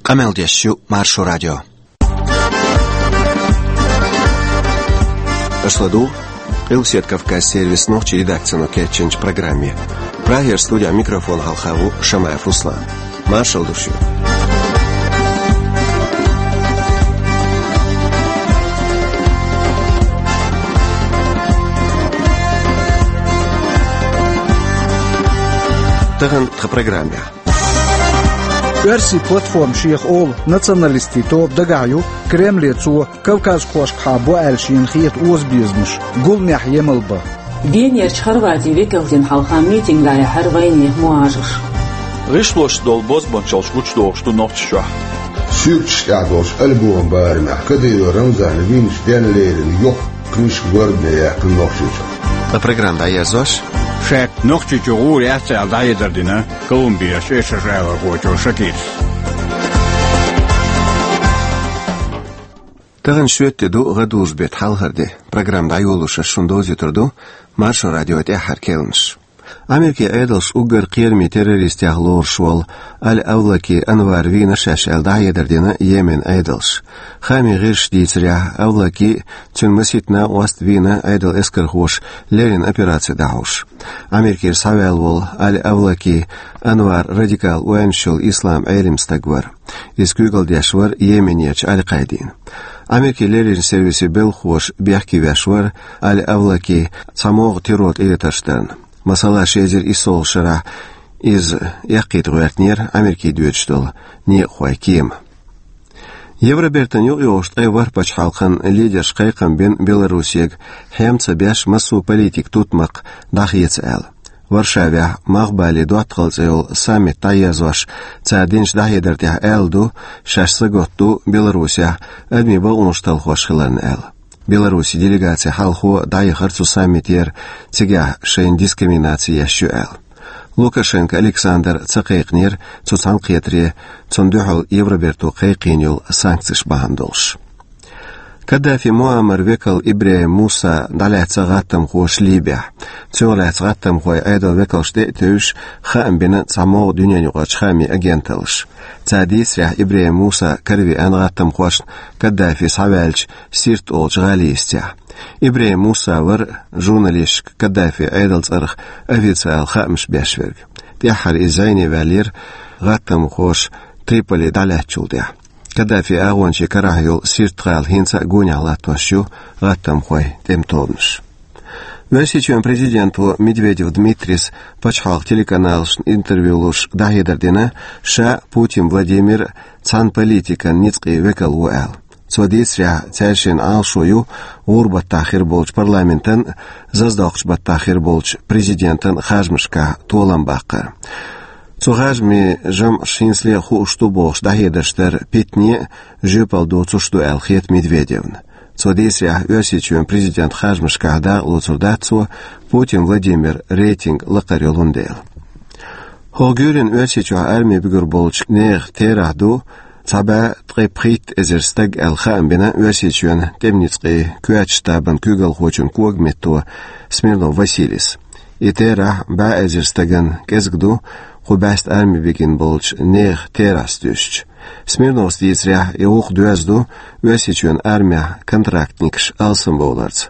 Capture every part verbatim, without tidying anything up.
Къамел деш ю Маршо радио. Аша ладугӀу Къилбаседа Кавказан сервисан нохчийн редакцино кечйинчу программе. Прагера студин микрофона хьалха ву Шамаев Руслан. Маршалла ду шуьга. Тахана тхан программехь. Оьрсийн платформа шех олу националистийн тоба дагахь ю, Кремле цо кавказхошкахьа бо аьлла шена хета озабезамаш гуламехь емал бан. Венерчу Хорватин векалдина хьалха митинг дӀаяьхьира вайнехан мухӀажарш. ГӀишлош долу бозбунчаллаш гучудохуш ду Нохчийчохь. Суьрташ тӀехь долчу альбоман барамехь Кадыров Рамзана вийначу денна леррина йоккха книжка гордане яьккхина Нохчийчохь. Ткъа программа дӀаерзош, ша Нохчийчу гӀур яц аьлла дӀахьедар дина Колумбехь эшарш алархочо Шакирас. Тахана шоьтан де ду, гӀадужу беттан хьалхара де. Программа дӀайолош ас шуна довзуьйтур ду Маршо радион тӀаьххьара керланаш. Америкин Ӏедалша уггар кхерамийн террористех лоруш волу Аль-Авлаки Анвар вийна шаьш аьлла дӀахьедар дина Йеменан Ӏедалша. Хаамийн гӀирсаша дийцарехь, Авлаки а, цуьнан масийтта накъост а вийна Ӏедалан эскархоша леррина операци дӀахьош. Америкера схьаваьлла волу Аль-Авлаки Анвар радикал ойланаш йолу ислам Ӏелам стаг вара. Иза куьйгалла деш вара Йеменерчу Аль-Къаидина. Америкин леррина сервисийн белхахоша бехке веш вара Аль-Авлаки цхьа могӀа террор тӀелетарш дарна. Масала, ши эзар иссалгӀачу шарахь иза эккхийта гӀоьртинера Америкин доьдуш долу некъахойн кема. Евробертан юкъайогӀучу ткъе ворхӀ пачхьалкхан лидерша кхайкхам бина Белоруссига хьем ца беш массо а политикан тутмакх дӀахеца аьлла. Варшавехь Малхбален доттагӀалла цӀе йолу саммит дӀаерзош цара динчу дӀахьедар тӀехь аьлла ду, шаьш сагатду Белоруссехь адамийн бакъонаш талхош хиларна аьлла. Белоруссин делегаци хьалхо дӀаяхара цу саммитера, цигахь шайна дискриминаци еш ю аьлла. Лукашенко Александр ца кхайкхинера цу цхьаьнакхетаре, цунна дуьхьал Евроберто кхайкхийна йолу санкцеш бахьана долуш. Каддафи Муаммаран векал ИбрахӀим Муса дӀалаьцна гӀаттамхоша Либехь. Цунах лаьцна гӀаттамхойн Ӏедалан векалшна тӀе а тевжаш, хаам бина цхьа могӀа дуьненаюкъарчу хаамийн агенталлаша. Цара дийцарехь, ИбрахӀим Муса каравеана гӀаттамхошна Каддафи схьаваьллачу Сирт олучу гӀалин йистехь. ИбрахӀим Муса вара журналисташка Каддафин Ӏедалан цӀарах официалан хаамаш беш верг. ТӀаьххьара иза зӀене ваьллера гӀаттамхоша Триполи дӀалаьцначул тӀаьхьа. Каддафин агӀончийн карахь йолу Сирт-гӀала хӀинца а гонехь латтош ю гӀаттамхойн тӀеман тобанаш. Оьрсийчоьнан президенто Медведев Дмитрис пачхьалкхан телеканалашна интервью луш дӀахьедар дина, ша Путин Владимир цхьана политикан ницкъийн векал ву аьлла. Цо дийцарехь, цаьршиннан Ӏалашо ю гӀуран баттахь хир болчу парламентан а, зазадоккхучу баттахь хир болчу президентан а харжамашкахь толам баккхар. Цу харжамийн жамӀаш хӀинцале а хууш ду бохуш дӀахьедарш дар питане а, жоьпалла доцуш ду аьлла хета Медведевна. Цо дийцарехь, Оьрсийчоьнан президентан харжамашкахь дакъалоцур дац цо, Путин Владимиран рейтинг лакхара йолун дела. ХӀокху гуьйренна Оьрсийчохь арми буьгур болчу нехан терахь ду цхьа бӀе ткъе пхийтта эзар стаг аьлла хаам бина Оьрсийчоьнан тӀеман ницкъийн коьртачу штабан куьйгалхочун когаметто Смирнов Василис. И терахь бӀе эзар стагана кӀезиг ду, кху бӀаьста арми бигина болчу нехан терахьца дуьстича. Смирновс дийцарехь, и гӀуллакх доьзна ду Оьрсийчоьнан армехь контрактникаш алсамбовларца.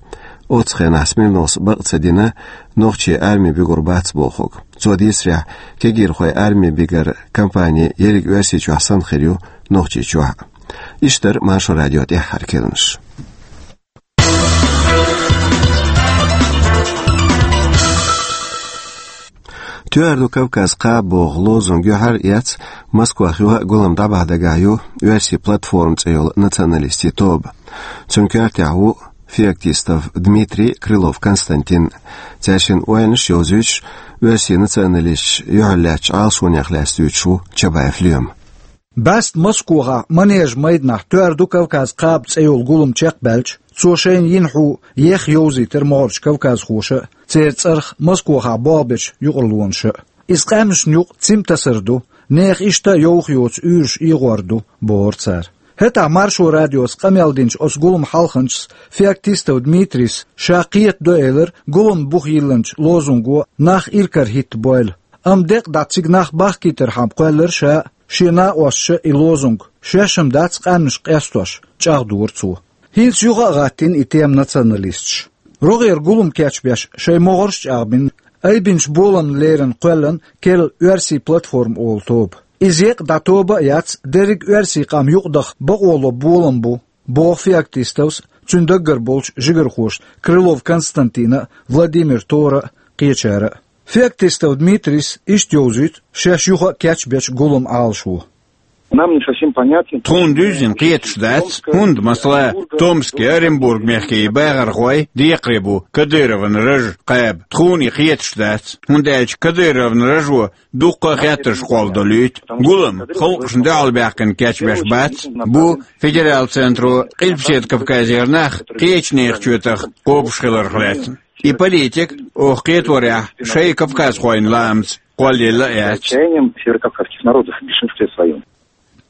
Оццу хенахь Смирновс бакъ ца дина, нохчий арми буьгур бац бохург. Цо дийцарехь, кегийрхой арми бигар кампани ерриг Оьрсийчохь санна хир ю Нохчийчохь а. Иштта дара Маршо радион тӀаьххьара керланаш. «Тоьар ду Кавказан кхаба» боху лозунг юьхьар а эцна, Москвахь юха а гулам дӀабахьа дагахь ю «Оьрсийн платформа» цӀе йолу националистийн тоба. Цуьнан коьртехь ву Феоктистов Дмитрий, Крылов Константин. Цаьршиннан ойланаш йовзуьйтуш, оьрсийн националисташ юьхьарлаьцначу Ӏалашонех лаьцна дуьйцуш ву Чабаев Лоьма. БӀаьста Москвахь Манежан майданахь «Тоьар ду Кавказан кхаба» цӀе йолу гулам чекхбаьлча, цо шайна йина хьу еха йовзийтира могӀарерчу кавказхоша а, церан цӀарах Москвахь болх бечу юкъарлонаша а. Иза къаьмнашна юкъа цим тасар ду, нехан иштта а йовха йоцу уьйраш эгӀор ду, бохура цара. ХӀетахь Маршо радиоца къамел динчу оцу гуламан хьалханчас Феоктистов Дмитрийс ша кхетадо элира гуламна буха йиллинчу лозунго нах иракарахӀиттабойла. Амма декъа дӀа цига нах бахкийтархьама кхоьллира ша а, Шен накъосташа и лозунг, шоаш-м дац къаьмнашка къестош, чӀагӀдора цо. ХӀинца юха а гӀаттийна и тема националисташа. РогӀера гулам кечбеш шоай могӀарш чӀагӀбина, айбинчу боламна леррина кхоьллина «Керла оьрсийн платформа» олу тоба. Иза еккъа дӀа тоба а яц, дерриг оьрсийн къам юкъадаха бакъо ло болам бу, боху Феоктистовс, цуьнан даггара болчу жигархоша Крылов Константина а, Владимир Тора а, кхечара а. Феоктистов Дмитрийс иштта йовзуьйту шаьш юха а кечбечу гуламан Ӏалашо. Нам не совсем понятен. Тхуна дуьззина кхеташ дац, хӀунда, масала, Томский, Оренбург мехкийн бахархой декхаре бу Кадыровн раж кхаба. Тхуна и кхеташ дац, хӀунда аьлча Кадыровн ражо дуккха а хеттарш кхолладалуьйту. Гулам халкъашна дуьхьал баьккхина кечбеш бац, бу федерал центро Къилбаседа Кавказера нах кхечу нехан чоьтах кхобуш хиларх лаьцна. И политика, оха кхеторехь, шайн кавказхойн лаамца кхоллаелла а яц. Состоянием северокавказских народов в большинстве своём.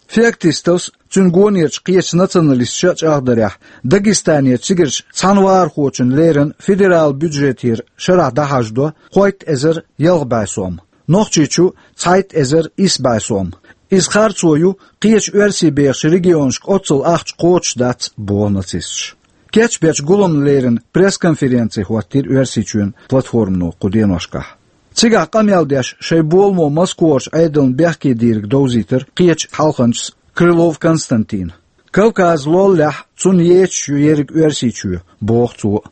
Феоктистовс, цуьнан гонерчу кхечу националисташа а чӀагӀдарехь, Дагестанерчу цигарчу цхьана вахархочунна леррина федерал бюджетера шарахь дӀахьаждо кхойтта эзар ялх бӀе сом, Нохчийчу цхьайтта эзар исс бӀе сом. Иза харцо ю, кхечу оьрсийн бехачу регионашка оццул ахча кхочуш дац, боху нацисташа. Кечбечу гуламна леррина пресс-конференци хӀоттийра Оьрсийчоьнан платформано кху деношкахь. Цигахь къамел деш шайн боламо Москварчу Ӏедална бехке дийриг довзийтира кхечу хьалханчас Крылов Константина. Кавказ лоллехь цунна ечаш ю ерриг Оьрсийчоь, боху цо.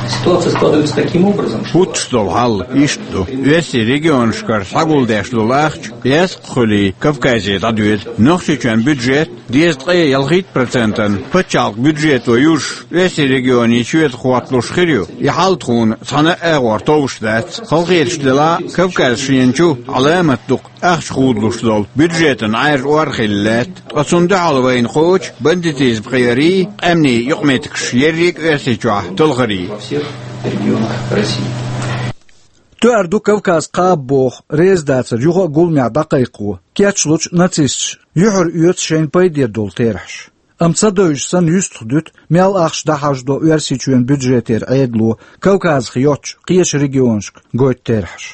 Ситуация складывается таким образом, что хӀуттуш долу хьал иштта ду. Оьрсийн регионашкара схьагулдеш долу ахча, эскъа хуьлий, Кавказе дӀадоьду. Нохчийчоьнан бюджет дезткъе ялхитта процентан пачхьалкхан бюджето южуш, оьрсийн регионийн чоьтах хӀотталуш хир ю. И хьал тхуна цхьана а агӀор товш дац. Халахеташ делахь а, Кавказ шена чу Ӏаламат дукха ахча худалуш долу бюджетан Ӏаьржа ор хилла лаьтта. Ткъа цунна дуьхьал вайна кхочу бандитизм кхиарий, къаьмнийн юкъаметтигаш ерриг а Оьрсийчохь талхарий. Тоьар ду Кавказ кхаба боху резадацар юха а гуламехь дӀакхайкхо, кечлучу нацисташа юьхьар оьцу шайна пайде долу терахьаш. Амма ца девзаш санна юьстах дуьту, мел ахча дӀахьаждо Оьрсийчоьнан бюджетера Ӏедало Кавказах йоцчу кхечу регионашка гойту терахьаш.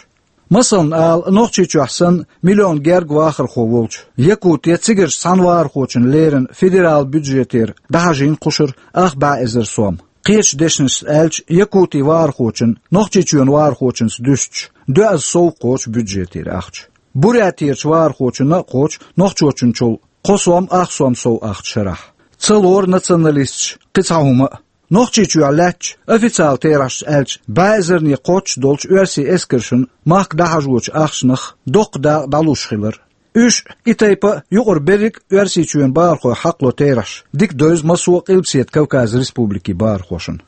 Масална ала, Нохчийчохь санна миллион гергга вахархо волчу Якутехь цигарчу цхьана вахархочунна леррина федерал бюджетера дӀахьажийна кхушара ах бӀе эзар сом. Кхечу дешнашца аьлча, Якутин вахархочунна, Нохчийчоьнан вахархочуьнца дуьстича, доьазза сов кхочу бюджетера ахча. Бурятерчу вахархочунна а кхочу нохчочунчул кхо сом ах сом сов ахча шарахь. Ца лору националисташа кхин цхьа хӀума а. Нохчийчохь лаьттачу, официалан терахьашца аьлча, бӀе эзарне кхоччуш долчу оьрсийн эскаршна махка дӀахьажочу ахчанах доккха дакъа дӀалуш хилар. Уьш, и тайпа а, юкъара берриг а Оьрсийчоьнан бахархойх хьакхало терахьаш дика девза массо а Къилбаседа Кавказан республикийн бахархошна.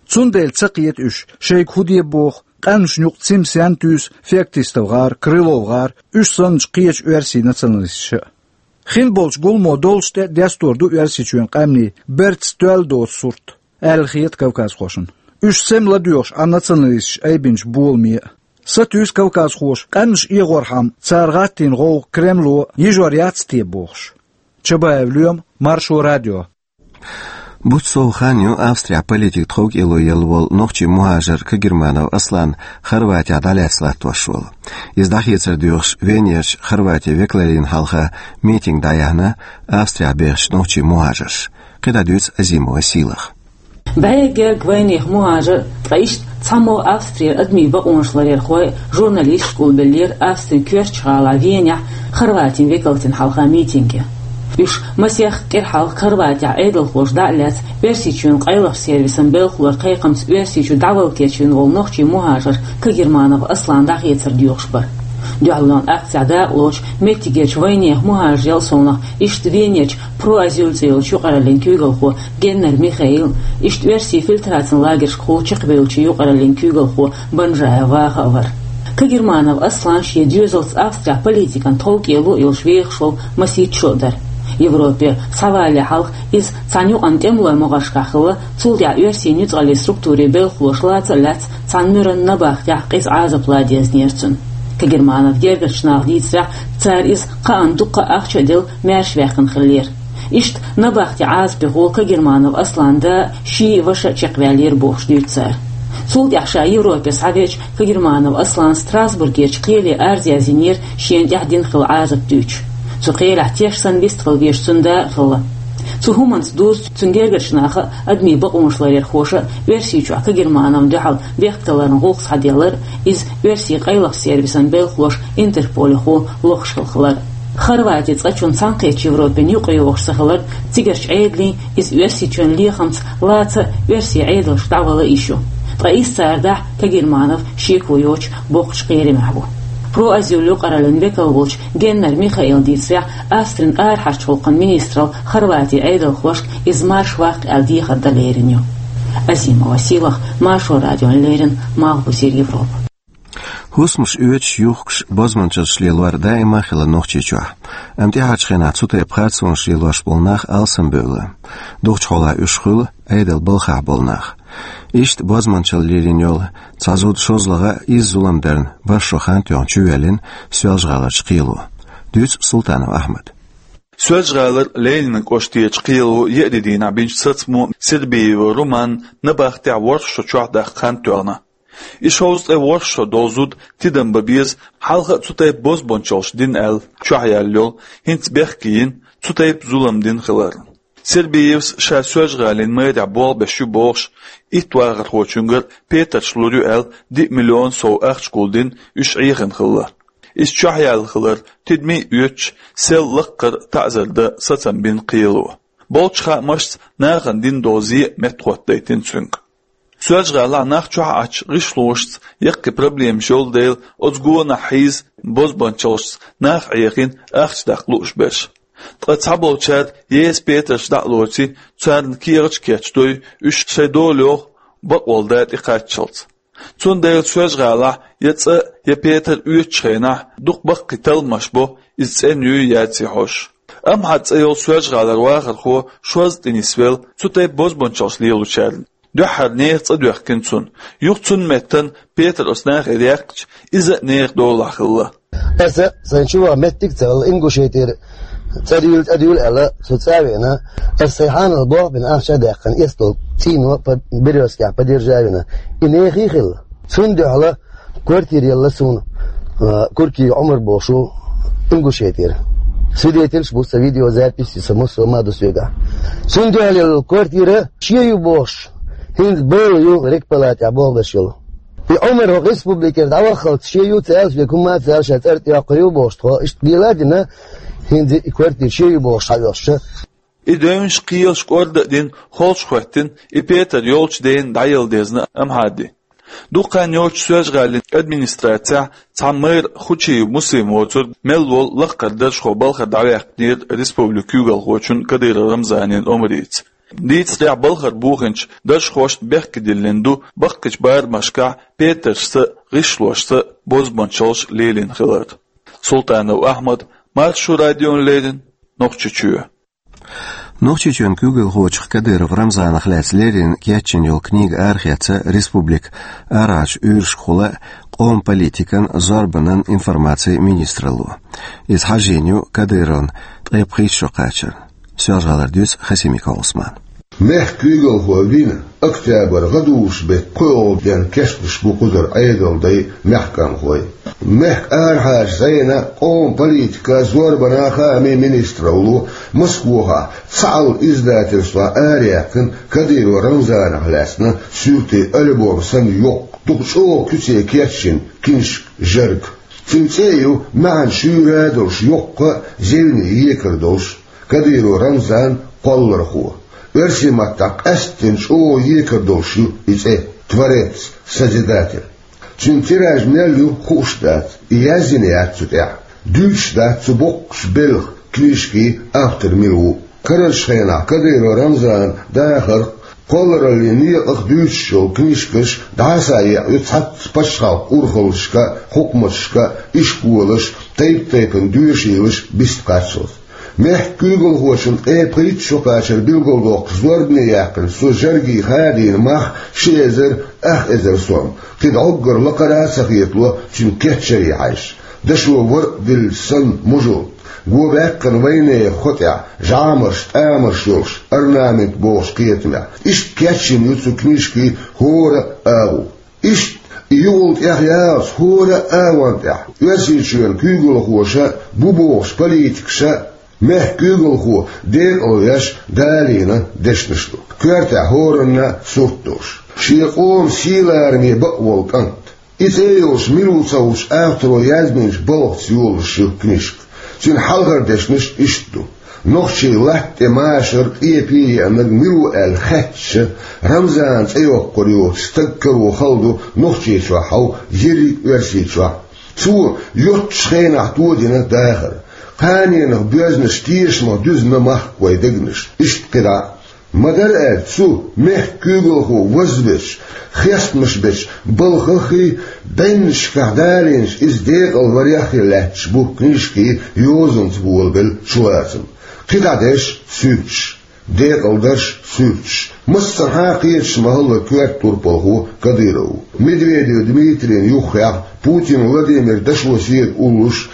Цундела ца кхета уьш, шайга хӀун де боху, къаьмнашна юкъа цимсенна туьйсу Феоктистов гӀар, Крылов гӀар, уьш санначу кхечу оьрсийн националисташа а. Хин болчу гуламо долуш тӀе а дестор ду Оьрсийчоьнан къаьмнийн бертаца тоьлла доцу сурт, аьлла хета кавказхошна. Уьш сема ладоьгӀуш Ӏа националисташа айбинчу боламе а. Сатуьйсу кавказхоша къаьмнаш эгӀорхьама цара гӀаттийна гӀовгӀа Кремло йижор яц те бохуш. Чабаев Лоьма, Маршо радио. Бутт сов хан ю Австрехь политикан тховкӀело елла волу нохчийн мухӀажар Кагерманов Аслан Хорватехь дӀалаьцна латтош волу. Иза дӀахецар доьхуш Венерчу Хорватин векалаллина хьалха митинг дӀаяьхьна Австрехь бехачу нохчийн мухӀажарша. КхидӀа дуьйцу Азимова Сийлаха. БӀе гергга вайнехан мухӀажар, ткъа иштта цхьаммо Австрера адамийн бакъонаш ларъярхой, журналисташ кӀулбеллера Австрин коьртачу гӀалахь Венехь Хорватин векалатина хьалха митинге. Уьш масех кӀира хьалха Хорватехь Ӏедалхоша дӀа а лаьцна, Оьрсийчоьнан къайлахчу сервисан белхалойн кхайкхамца Оьрсийчу дӀавала кечвина волу нохчийн мухӀажар Кагерманов Аслан дӀахецар доьхуш бара. Дуьхьалонан акцехь дакъалоцуш меттигерчу вайнехан мухӀажарел совнаха иштта Венерчу «Про Азиль» цӀе йолчу юкъараллин куьйгалхо Геннер Михаил, иштта оьрсийн фильтрацин лагершкахула чекхбевллачу юкъараллин куьйгалхо Банжаев Ваха а вара. Кагерманов Аслан шен доьзалца Австрехь политикан тховкӀело а йолуш вехаш волу масийтта шо а дара. Европера схьавалале хьалха иза цхьана юкъанна тӀемалойн могӀаршкахь хилла, цул тӀаьхьа оьрсийн нуьцкъаллийн структурийн белхалоша лаца а лаьцна, цхьана муьран набахтехь къиза Ӏазап лан дезна яра цунна. Кагерманов гергарчу наха дийцарехь, цара иза кхаъна дуккха а ахча а делла, маьршаваьккхина хиллера. Иштта набахтин Ӏазапехула Кагерманов Асланан да а, ши а, ваша а чекхваьллера бохуш дуьйцу цара. Цул тӀаьхьа ша Европе схьавеача, Кагерманов Аслана Страсбургерчу кхеле арз яздинера шена тӀехь дина хилла Ӏазап дуьйцуш. Цу кхелехь теш санна вистхила везаш цуьнан да а хилла. Цу хӀуманца дузу цуьнан гергарчу наха а, адамийн бакъонаш ларъярхоша а Оьрсийчохь Кагермановна дуьхьал бехктакхаран гӀуллакх схьаделлар а, иза оьрсийн къайлаха сервисан белхалоша Интерполехула лохуш хилла хилар а. Хорвати цкъачунна Цхьаьнакхеттачу Европина юкъайогӀуш ца хилар а, цигарчу Ӏедалан, иза Оьрсийчоьнан лехамца лаца а, оьрсийн Ӏедалшка дӀавала а йиш ю. Ткъа иза цара дахь Кагерманов шеко йоцуш боккхачу кхерамехь ву. Проазийл юкъараллин векал волчу Геннер Михаила дийцарехь, Австрин арахьарчу гӀуллакхийн министралла Хорватин Ӏедалхошка иза марша ваккха аьлла дехар дан лерина ю. Азимова Сийлаха, Маршо радиона леррина, Малхбузера Европа. ХӀусамаш оьцуш, юхкуш, бозбуанчаллаш лелор даима а хилла Нохчийчохь. Амма тӀаьхьарчу хенахь цу тайпа харцонаш лелош болу нах алсамбевлла. Дукхачу хьолахь уьш хуьлу Ӏедалан балхахь болу нах. Иштта бозбуанчалла лелийна йолу цхьа зуда шозлагӀа а, изза зулам дарна бархӀ шо хан тоьхна чувоьллина Соьлжа-ГӀаларчу кхело. Дуьйцу Султанов Ахьмада. Соьлжа-ГӀалара Ленинан кӀоштарчу кхело еарин дийнахь бинчу сацамо Сербиев Румана набахтехь ворхӀ шо чохь даккха хан тоьхна. И шовзткъе ворхӀ шо долу зуда тидам бан беза, хьалха а цу тайпа бозбуанчаллаш дина аьлла чохь яьлла йолу, хӀинца бехке йина, цу тайпа зулам дина хиларна. Сербиевс ша Соьлжа-ГӀалин мэрехь болх беш ю бохуш, итт вахархочуьнгара петарш лур ю аьлла, диъ миллион сов ахча гулдина, уьш Ӏехийна хилла. Иза чохь яьлла хилар тидаме а оьцуш, сел лаккхара таӀзар дан сацам бина кхело. Болчу хаамашца, нахана дина долу зен а меттахӀоттадайтина цуьнга. Соьлжа-ГӀалахь нах чохь Ӏачу гӀишлошца яккхий проблемаш йолу дела, оцу гонах хьийза бозбуанчаллашца нах Ӏехийна, ахча даккха лууш берш. Ткъа цхьаболчара еса петарш дӀа а лоций, царна кехаташ кечдой, уьш шайн дола йоху бакъволу да тӀекхаччалц. Цундела Соьлжа-ГӀалахь я цӀа, я петар оьцучу хенахь дукха баккхий талламаш бо, иза цӀена юй, яций хьожуш. Амхьад цӀе йолу Соьлжа-ГӀалара вахархо шозза тӀе нисвелла цу тайпа бозбуанчаллаш лелочарна. Дуьххьара нехан цӀа доьхкина цунна. Юха цунна меттана петар оцу нахера яьккхича, иза а нехан долахь хилла. Аса сайн чуваха меттиг а ца хилла, Ингушетера цӀа дуьйла, цӀа дуьйла аьлла, со цӀа а веана, аса сайн хьанал болх а бина, ахча а даьккхина, эцна долу цӀийно по-, Берёзкехь поддержать а вина. И нехан а хилла. Цунна дуьхьала квартира елла суна, а, Куркиев Ӏумар бохуш ву, Ингушетера. Свидетельш бу, сан видеозапись, сан массо а ма ду соьгахь. Цунна дуьхьала елла квартира шен ю бохуш, хӀинца бала ю, регпалатехь болх беш йолу. И Ӏумар хӀокху республикера дӀаваххалц шен ю ца аьлла, век хӀумма а ца аьлла, ша цӀарна тӀе йоккхур ю бохуш тхо, иштта лела а дина, хӀинца и квартира шен ю бохуш схьавоьллуш. И девнаш, кхелаш кӀорда а дина, холчу хӀоьттина, и петар йолчу дена дӀаелла дезна Амхьаде. Дукха хан йоццуш Соьлжа-ГӀалин администрацехь цхьа мэр Хучиев Муслим воцург мел волу лаккхара даржхо балхара дӀаваьккхинера республикан куьйгалхочун Кадыров Рамзанан омрица. Дийцарехь, балхара буханчу даржхошна бехке диллина ду баккхийчу барамашкахь петаршца а, гӀишлошца а бозбуанчаллаш лелийна хилар. Султанов Ахьмад, Маршо радиона леррина, Нохчийчоь. Нохчийчоьнан куьйгалхочух Кадыров Рамзанах лаьцна леррина кечйина йолу книга арахецна республикан арахьарчу уьйрашкахула къоман политикан, зорбанан, информацин министралло. Иза хьажийна ю Кадыровн ткъе пхийтта шо кхачарна. Соьлжа-ГӀалара дуьйцу Хасимиков Ӏусмана. Мехкан куьйгалхо вина, октябрь гӀадужу-беттан пхоьалгӀа денна кечдеш бу кхузара Ӏедалан дай, мехкан къоман. Мехкан арахьарчу зӀенан, къоман политикан, зорбанан, хаамийн министралло Москвахь цхьаалла издательствехь араяьккхина Кадыров Рамзанах лаьцна суьртийн альбом санна йоккха, дукха чӀогӀа куьце кечйина книжка, жӀарг. Цуьнан цӀе а ю маьӀна шуьйра долуш йоккха а, зевне екар долуш. Кадыров Рамзан, кхоллархо. Оьрсийн маттахь къаьсттина чӀогӀа екар долуш ю и цӀе, творец, созидатель. Цуьнан тираж мел ю, хууш дац, и язйина яц цу тӀехь, дуьйцуш дац цу боккхачу белхан книжкин автор мила ву. Карарчу хенахь Кадыров Рамзанан дахарх, кхоллараллин некъах дуьйцуш йолу книжкаш дӀасаекъна ю цхьацца пачхьалкхан урхаллашка, хьукматашка, ишколаша, тайп-тайпана доьшийлаша бист кхаччалц. Мехкан куьйгалхочун ткъе пхийтта шо кхачар билгалдоккхуш зорбане яьккхина цо жӀаргий хадийна мах ши эзар ах эзар сом, кхин дӀоггара лакхара а ца хетало цуьнан кечъяре хьаьжча. Дашо вар а диллича санна мужалт, го баьккхина вайнехан хӀотӀехь, жӀамарш, тӀамарш йолуш, орнамент бохучу кхетамехь. Иштта кечйина ю цу книжкин хӀора а агӀо. Иштта И юкъал тӀехъялац хӀора а агӀон тӀехь Оьрсийчоьнан куьйгалхоша а, бу бохучу политикаша а мехкан куьйгалхо декъалвеш далийна дешнаш ду. Коьртехь хӀоранна а сурт долуш, шен къоман сий-лараме бакъволу кӀант. И цӀе йолуш мила ву ца хуучу авторо яздинчу балхаца йолуш ю книжка. Цуьнан хьалхара дешнаш иштта ду: нохчийн латта тӀе машар, къепе а еанарг мила ву аьлла хаьттича, Рамзан цӀе йоккхур йоцу стаг каро хала ду Нохчийчохь хьовха, ерриг а Оьрсийчохь. Цо йоццачу хенахь тодина дахар. Кханенах боьзнаш тешамах дуьзна махка вайн дегнаш. Иштта кхидӀа а. Ма-дарра аьлча, цу мехкан куьйгалхо вазбечу, хестамаш бечу балхаххий, бӀеннашкахь далийначу иза декъалварех а лаьтташ бу книжкин йозанца болабелла чулацам. КхидӀа дерш суьрташ, декъалдарш суьрташ. Массанхьа а кхеташ ма-хиллара коьрта турпалхо Кадыров ву. Медведев Дмитрийна юххехь, Путин Владимир дашо седа уллуш,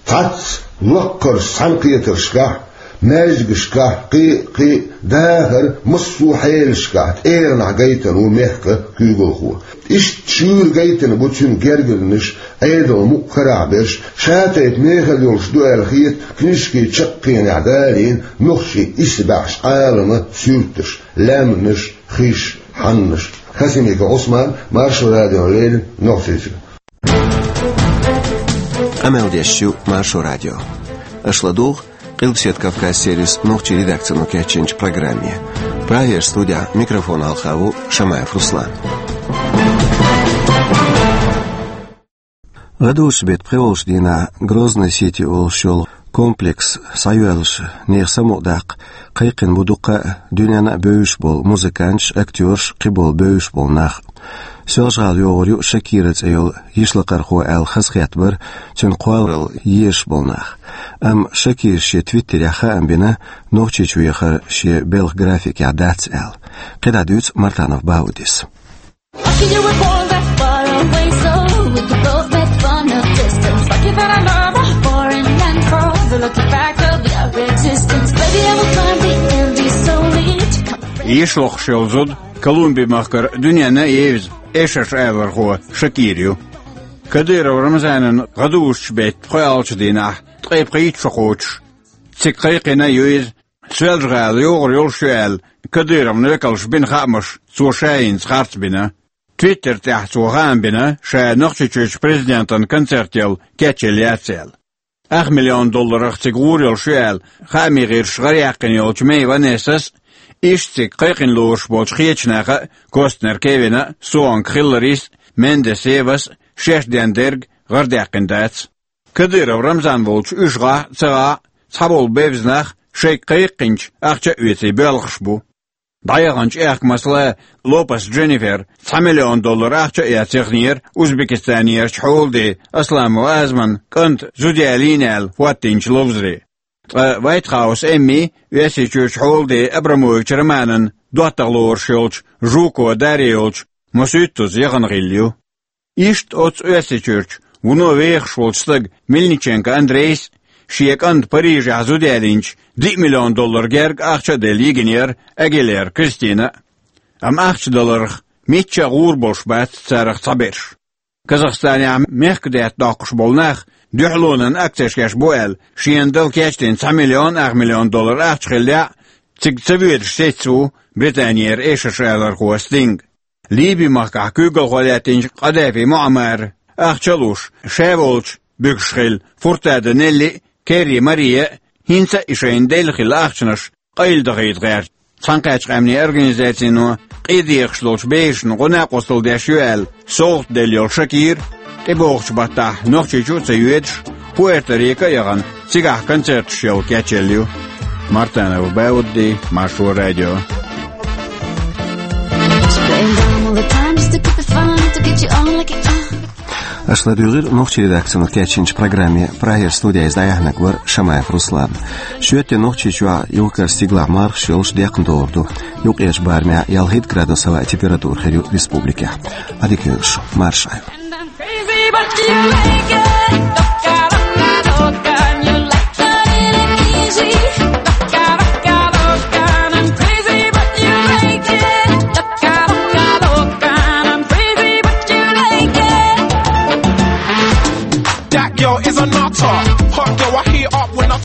цхьацца лаккхарчу цхьаьнакхетаршкахь, маьждигашкахь кхин а, кхин а дахар, массо а хьелашкахь тӀегӀанехь гайтина ву мехкан куьйгалхо. Иштта шуьйра гайтина бу цуьнан гергарнаш, Ӏедалан мукъ карахь берш, ша-тайпа мехала йолуш ду аьлла хета книжкин чаккхенехь далийна нохчийн исбаьхьчу Ӏаламан суьрташ, лаьмнаш, хиш, хьаннаш. Хасимиков Ӏусман, Маршо радиона леррина, Нохчийчуьра. Къамел деш ю Маршо радио. Аша ладугӀу Къилбаседа Кавказ сервисан нохчийн редакцино кечйинчу программе. Прагера студехь микрофон хьалха ву Шамаев Руслан. ГӀадужу-беттан пхоьалгӀачу дийнахь Грозный-Сити олуш йолу комплекс схьайоьллуш, нехан самукъадаккха кхайкхина бу дуккха а дуьненна а бевзаш болу музыканташ, актёраш, кхиболу бевзаш болу нах. Соьлжа-ГӀала йогӀур ю Шакира цӀе йолу йишлакхархо аьлла хазахетта бара цуьнан кхолларалла езаш болу нах. Амма Шакирас шен твиттерехь хаам бина, Нохчийчу вехар шен белхан графикехь дац аьлла. КхидӀа дуьйцу Мартанов Баудис. Lucky you were born that far away, so we could both make fun of distance. Lucky that I love a foreign land for the lucky fact of your existence. Baby, I will climb the Andes slowly to come. Йишлохуш йолу зуда Колумби-махкара дуьненна а евза эшарш алархо Шакир ю. Кадыров Рамзанан гӀадужу-беттан пхоьалгӀачу дийнахь ткъе пхийтта шо кхочуш, цига кхайкхина а ю иза, Соьлжа-ГӀала йогӀур йолуш ю аьлла, Кадыровн векалша бина хаамаш цо ша йинца харц бина. Твиттер тӀехь цо хаам бина, ша Нохчийчуьрчу президентан концертел кечъелла яц аьлла. Ах миллион долларах цига гӀур йолуш ю аьлла, хаамийн гӀирсаша гӀараяьккхина йолчу Мей Ванессас а, иштта цига кхайкхина лоруш болчу кхечу наха а, Костнер Кевина а, Суонг Хилларис а, Мендес Евас а шаьш ден дерг гӀарадаьккхина дац. Кадыров Рамзан волчу уьш гӀахь а, ца гӀахь а, цхьаболу бевза нах шайга кхайкхинчу ахча а оьций боьлхуш бу. ДӀаяханчу аьхка, масала, Лопес Дженнифер цхьа миллион доллар ахча а эцна яхнера Узбекистанерчу хьолде Асламова Азман кӀанта зуда ялийна аьлла хӀоттийначу ловзаре. Ткъа Вайтхаус Эмми Оьрсийчуьрчу хьолде Абрамович Романан доттагӀа лоруш йолчу Жуко Дарья йолчу Мосуьттуза яхана гӀилла ю. Иштта оццу Оьрсийчуьрчу вуно вехаш волчу стага Мельниченко Андрейс а, шен кӀанта Парижехь зуда ялийначу диъ миллион доллар герга ахча а делла йигинера Агилера Кристина а. Амма ахча даларх мичча а гӀур болуш бац царах цхьаберш. Казахстанехь мехкадаьтта доккхуш болу нах дуьхьалонан акцеш еш бу аьлла, шена дала кечдина цхьа миллион ах миллион доллар ахча хиллехь а, цига ца воьдуш сецна ву Британера эшарш алархо Стинг. Ливи-махкахь куьйгалхо лаьттинчу Къадафи Муаммара ахча а луш, ша волчу буьгуш хилла Фуртада Нелли а, Керри Мария а хӀинца а и шайна делла хилла ахчанаш къайладахийта гӀерта. Цхьаьнакхеттачу къаьмнийн организацино къен дехаш долчу берашна гӀо-накъосталла деш ю аьлла, совгӀат делла йолу Шакир, тӀебогӀучу баттахь Нохчийчу а ца йоьдуш, Пуэрто-Рико а яхана, цигахь концерташ яла кечъелла ю. Мартанов Баудди, Маршо радио. Аша ладуьйгӀира нохчийн редакцино кечйинчу программе. Прагера студехь иза дӀаяьхьнарг вара Шамаев Руслан. Шоьтан Нохчийчохь юхкар стигалахь мархаш йолуш декхна догӀур ду. Юккъерчу барамехь ялхитта градус хӀаваан температура хир ю республикехь. Ӏадика йойла шу, марша Ӏойла.